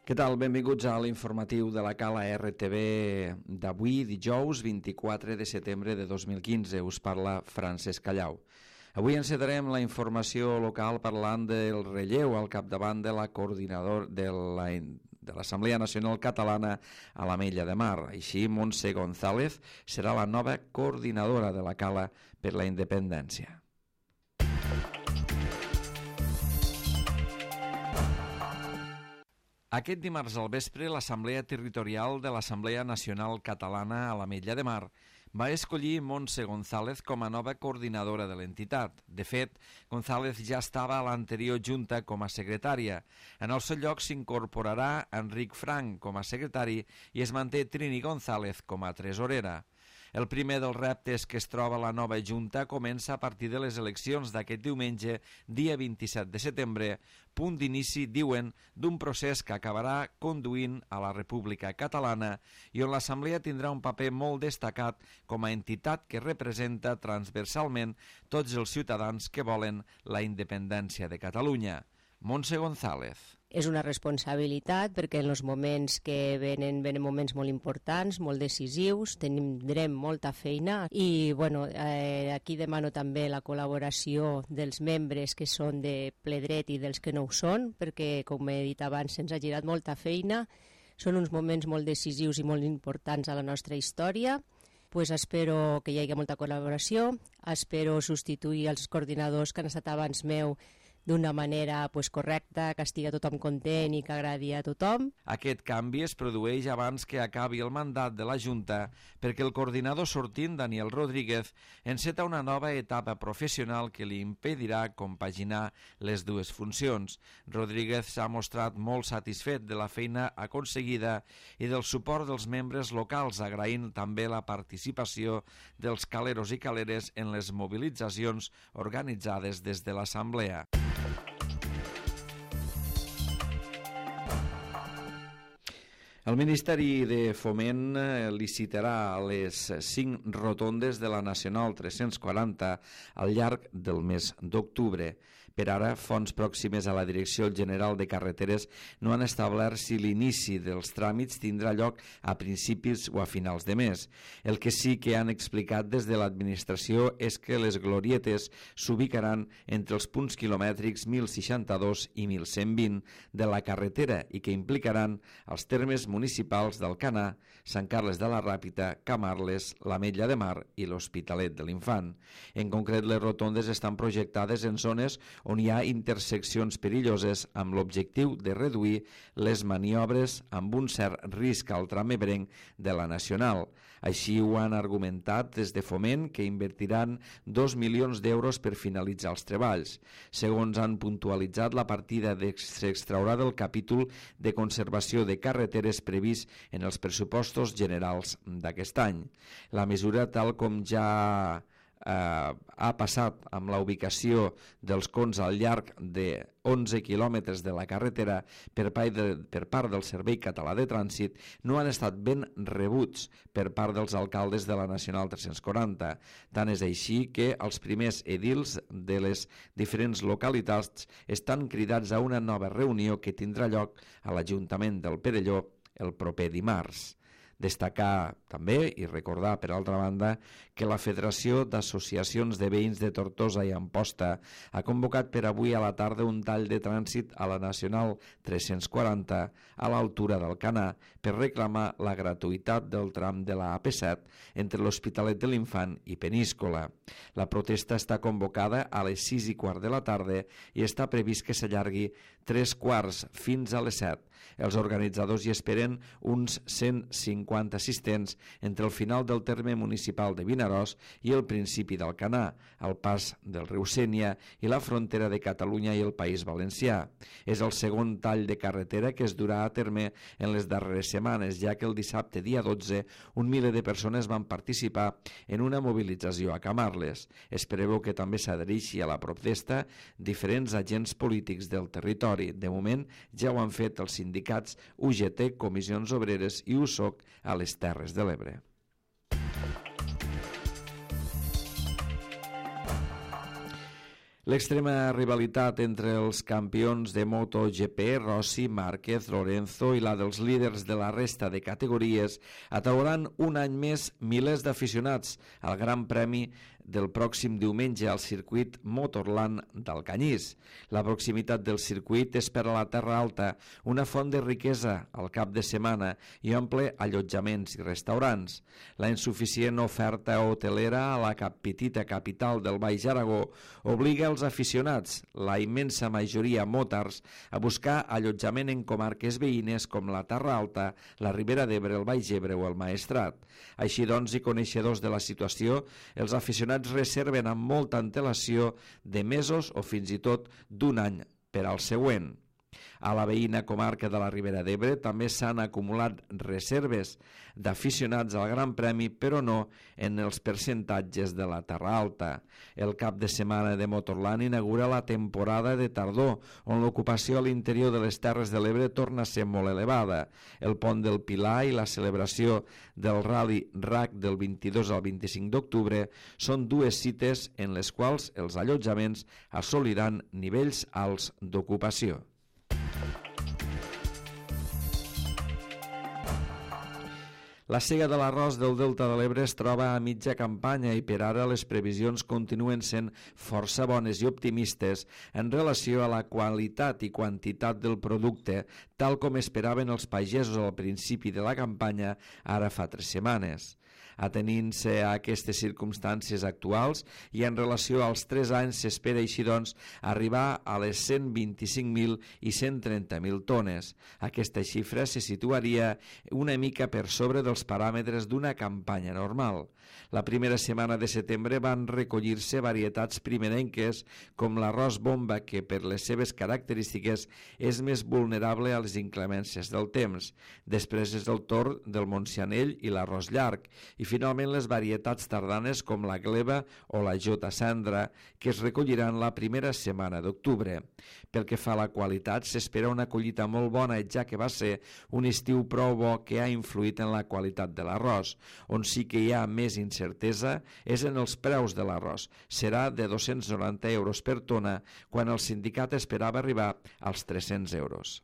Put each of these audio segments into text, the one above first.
Què tal? Benvinguts a l'informatiu de la Cala RTV d'avui, dijous 24 de setembre de 2015. Us parla Francesc Callau. Avui encetarem la informació local parlant del relleu al capdavant de la coordinadora de l'Assemblea Nacional Catalana a l'Ametlla de Mar. Així, Montse González serà la nova coordinadora de la Cala per la Independència. Aquest dimarts al vespre, l'Assemblea Territorial de l'Assemblea Nacional Catalana a l'Ametlla de Mar va escollir Montse González com a nova coordinadora de l'entitat. De fet, González ja estava a l'anterior junta com a secretària. En el seu lloc s'incorporarà Enric Frank com a secretari i es manté Trini González com a tresorera. El primer dels reptes que es troba la nova junta comença a partir de les eleccions d'aquest diumenge, dia 27 de setembre, punt d'inici, diuen, d'un procés que acabarà conduint a la República Catalana i on l'Assemblea tindrà un paper molt destacat com a entitat que representa transversalment tots els ciutadans que volen la independència de Catalunya. Montse González. És una responsabilitat perquè en els moments que venen moments molt importants, molt decisius, tindrem molta feina i aquí demano també la col·laboració dels membres que són de ple dret i dels que no ho són, perquè com he dit abans se'ns ha girat molta feina, són uns moments molt decisius i molt importants a la nostra història. Pues espero que hi hagi molta col·laboració, espero substituir els coordinadors que han estat abans meu d'una manera correcta, que estigui tothom content i que agradi a tothom. Aquest canvi es produeix abans que acabi el mandat de la Junta perquè el coordinador sortint, Daniel Rodríguez, enceta una nova etapa professional que li impedirà compaginar les dues funcions. Rodríguez s'ha mostrat molt satisfet de la feina aconseguida i del suport dels membres locals, agraint també la participació dels caleros i caleres en les mobilitzacions organitzades des de l'Assemblea. El Ministeri de Foment licitarà les 5 rotondes de la Nacional 340 al llarg del mes d'octubre. Per ara, fonts pròximes a la Direcció General de Carreteres no han establert si l'inici dels tràmits tindrà lloc a principis o a finals de mes. El que sí que han explicat des de l'administració és que les glorietes s'ubicaran entre els punts quilomètrics 1062 i 1120 de la carretera i que implicaran els termes municipals d'Alcanar, Sant Carles de la Ràpita, Camarles, l'Ametlla de Mar i l'Hospitalet de l'Infant. En concret, les rotondes estan projectades en zones on hi ha interseccions perilloses amb l'objectiu de reduir les maniobres amb un cert risc al tram ebrenc de la Nacional. Així ho han argumentat des de Foment, que invertiran 2 milions d'euros per finalitzar els treballs. Segons han puntualitzat, la partida s'extraurà del capítol de conservació de carreteres previst en els pressupostos generals d'aquest any. La mesura, tal com ja ha passat amb la ubicació dels cons al llarg de 11 quilòmetres de la carretera per part del Servei Català de Trànsit, no han estat ben rebuts per part dels alcaldes de la Nacional 340. Tant és així que els primers edils de les diferents localitats estan cridats a una nova reunió que tindrà lloc a l'Ajuntament del Perelló el proper dimarts. Destacar també i recordar, per altra banda, que la Federació d'Associacions de Veïns de Tortosa i Amposta ha convocat per avui a la tarda un tall de trànsit a la Nacional 340 a l'altura d'Alcanar per reclamar la gratuïtat del tram de la AP7 entre l'Hospitalet de l'Infant i Peníscola. La protesta està convocada a les 6:15 de la tarda i està previst que s'allargui 3:15 fins a les 7. Els organitzadors hi esperen uns 150 assistents entre el final del terme municipal de Vinaròs i el principi d'Alcanar, al pas del riu Sénia i la frontera de Catalunya i el País Valencià. És el segon tall de carretera que es durà a terme en les darreres setmanes, ja que el dissabte, dia 12, un miler de persones van participar en una mobilització a Camarles. Es preveu que també s'adhereixi a la protesta diferents agents polítics del territori. De moment, ja ho han fet els sindicats UGT, Comissions Obreres i USOC a les Terres de l'Ebre. L'extrema rivalitat entre els campions de MotoGP, Rossi, Márquez, Lorenzo i la dels líders de la resta de categories atrauran un any més milers d'aficionats al Gran Premi del pròxim diumenge al circuit Motorland d'Alcanyís. La proximitat del circuit és per a la Terra Alta una font de riquesa al cap de setmana i omple allotjaments i restaurants. La insuficient oferta hotelera a la petita capital del Baix Aragó obliga els aficionats, la immensa majoria motars, a buscar allotjament en comarques veïnes com la Terra Alta, la Ribera d'Ebre, el Baix Ebre o el Maestrat. Així doncs, i coneixedors de la situació, els aficionats reserven amb molta antelació de mesos o fins i tot d'un any per al següent. A la veïna comarca de la Ribera d'Ebre també s'han acumulat reserves d'aficionats al Gran Premi, però no en els percentatges de la Terra Alta. El cap de setmana de Motorland inaugura la temporada de tardor, on l'ocupació a l'interior de les Terres de l'Ebre torna a ser molt elevada. El pont del Pilar i la celebració del Rally RAC del 22 al 25 d'octubre són dues cites en les quals els allotjaments assoliran nivells alts d'ocupació. La sega de l'arròs del Delta de l'Ebre es troba a mitja campanya i per ara les previsions continuen sent força bones i optimistes en relació a la qualitat i quantitat del producte, tal com esperaven els pagesos al principi de la campanya, ara fa 3 setmanes. Atenint-se a aquestes circumstàncies actuals i en relació als 3 anys s'espera així doncs arribar a les 125.000 i 130.000 tones. Aquesta xifra se situaria una mica per sobre dels paràmetres d'una campanya normal. La primera setmana de setembre van recollir-se varietats primerenques com l'arròs bomba, que per les seves característiques és més vulnerable a les inclemències del temps. Després és el torn del Montsianell i l'arròs llarg i finalment les varietats tardanes com la gleba o la jota cendra, que es recolliran la primera setmana d'octubre. Pel que fa a la qualitat, s'espera una collita molt bona, ja que va ser un estiu prou bo que ha influït en la qualitat de l'arròs. On sí que hi ha més incertesa és en els preus de l'arròs. Serà de 290 euros per tona, quan el sindicat esperava arribar als 300 euros.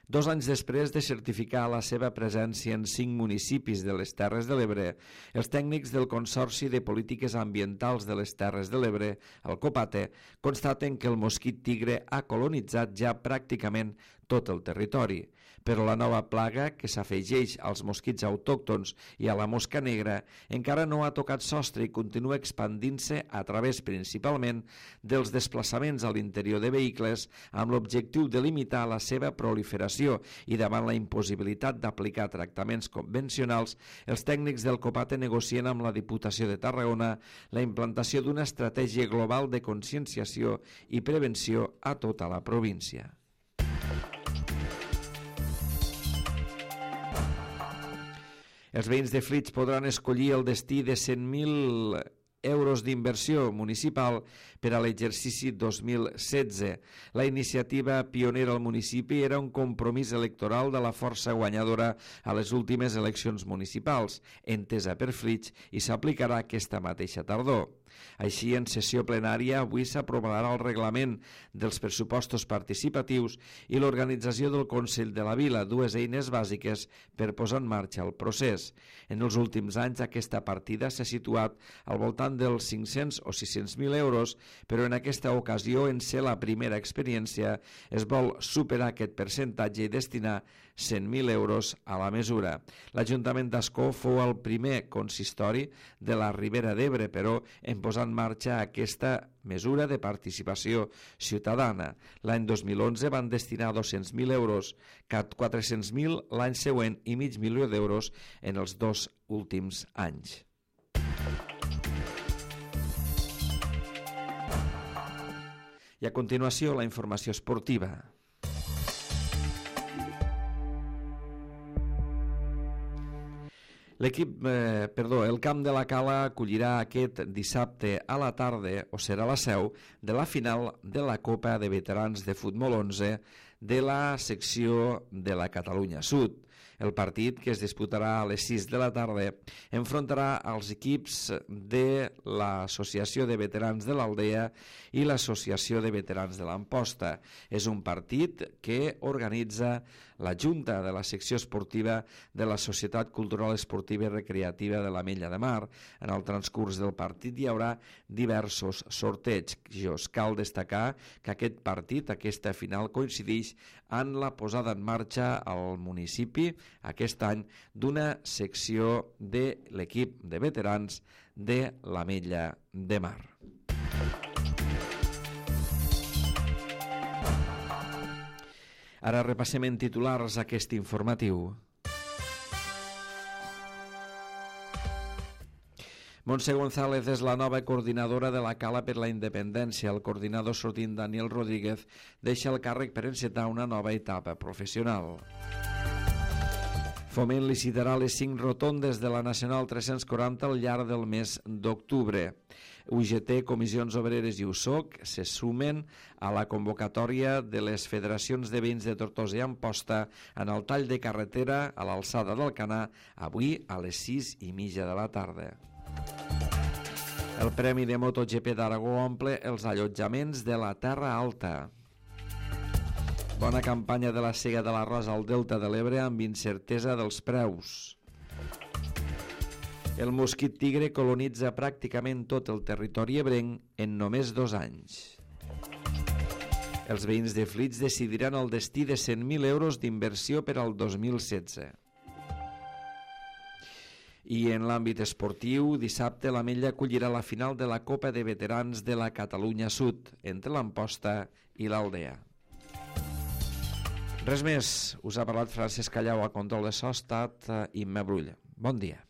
Dos anys després de certificar la seva presència en 5 municipis de les Terres de l'Ebre, els tècnics del Consorci de Polítiques Ambientals de les Terres de l'Ebre, el COPATE, constaten que el mosquit tigre ha colonitzat ja pràcticament tot el territori. Però la nova plaga, que s'afegeix als mosquits autòctons i a la mosca negra, encara no ha tocat sostre i continua expandint-se a través principalment dels desplaçaments a l'interior de vehicles amb l'objectiu de limitar la seva proliferació, i davant la impossibilitat d'aplicar tractaments convencionals, els tècnics del COPATE negocien amb la Diputació de Tarragona la implantació d'una estratègia global de conscienciació i prevenció a tota la província. Els veïns de Flix podran escollir el destí de 100.000 euros d'inversió municipal per a l'exercici 2016. La iniciativa pionera al municipi era un compromís electoral de la força guanyadora a les últimes eleccions municipals, entesa per Flix, i s'aplicarà aquesta mateixa tardor. Així, en sessió plenària, avui s'aprovarà el reglament dels pressupostos participatius i l'organització del Consell de la Vila, dues eines bàsiques per posar en marxa el procés. En els últims anys, aquesta partida s'ha situat al voltant dels 500 o 600.000 euros, però en aquesta ocasió, en ser la primera experiència, es vol superar aquest percentatge i destinar 100.000 euros a la mesura. L'Ajuntament d'Ascó fou el primer consistori de la Ribera d'Ebre, però en posar en marxa aquesta mesura de participació ciutadana. L'any 2011 van destinar 200.000 euros, 400.000 l'any següent i $500.000 d'euros en els 2 últims anys. I a continuació, la informació esportiva. El Camp de la Cala acollirà aquest dissabte a la tarda, o serà la seu, de la final de la Copa de Veterans de Futbol 11 de la secció de la Catalunya Sud. El partit, que es disputarà a les 6 de la tarda, enfrontarà els equips de l'Associació de Veterans de l'Aldea i l'Associació de Veterans de l'Amposta. És un partit que organitza la Junta de la Secció Esportiva de la Societat Cultural Esportiva i Recreativa de l'Ametlla de Mar. En el transcurs del partit hi haurà diversos sortejos. Cal destacar que aquest partit, aquesta final, coincideix en la posada en marxa al municipi aquest any d'una secció de l'equip de veterans de l'Ametlla de Mar. Ara repassem en titulars aquest informatiu. Montse González és la nova coordinadora de la Cala per la Independència. El coordinador sortint, Daniel Rodríguez, deixa el càrrec per encetar una nova etapa professional. Foment licitarà les 5 rotondes de la Nacional 340 al llarg del mes d'octubre. UGT, Comissions Obreres i USOC se sumen a la convocatòria de les federacions de veïns de Tortosa i Amposta en el tall de carretera a l'alçada d'Alcanar avui a les 6:30 de la tarda. El Premi de MotoGP d'Aragó omple els allotjaments de la Terra Alta. Bona campanya de la sega de l'arròs al Delta de l'Ebre amb incertesa dels preus. El mosquit tigre colonitza pràcticament tot el territori ebrenc en només 2 anys. Els veïns de Flix decidiran el destí de 100.000 euros d'inversió per al 2016. I en l'àmbit esportiu, dissabte l'Ametlla acollirà la final de la Copa de Veterans de la Catalunya Sud entre l'Amposta i l'Aldea. Res més, us ha parlat Francesc Callau, a control de so, ha estat Imma Brull. Bon dia.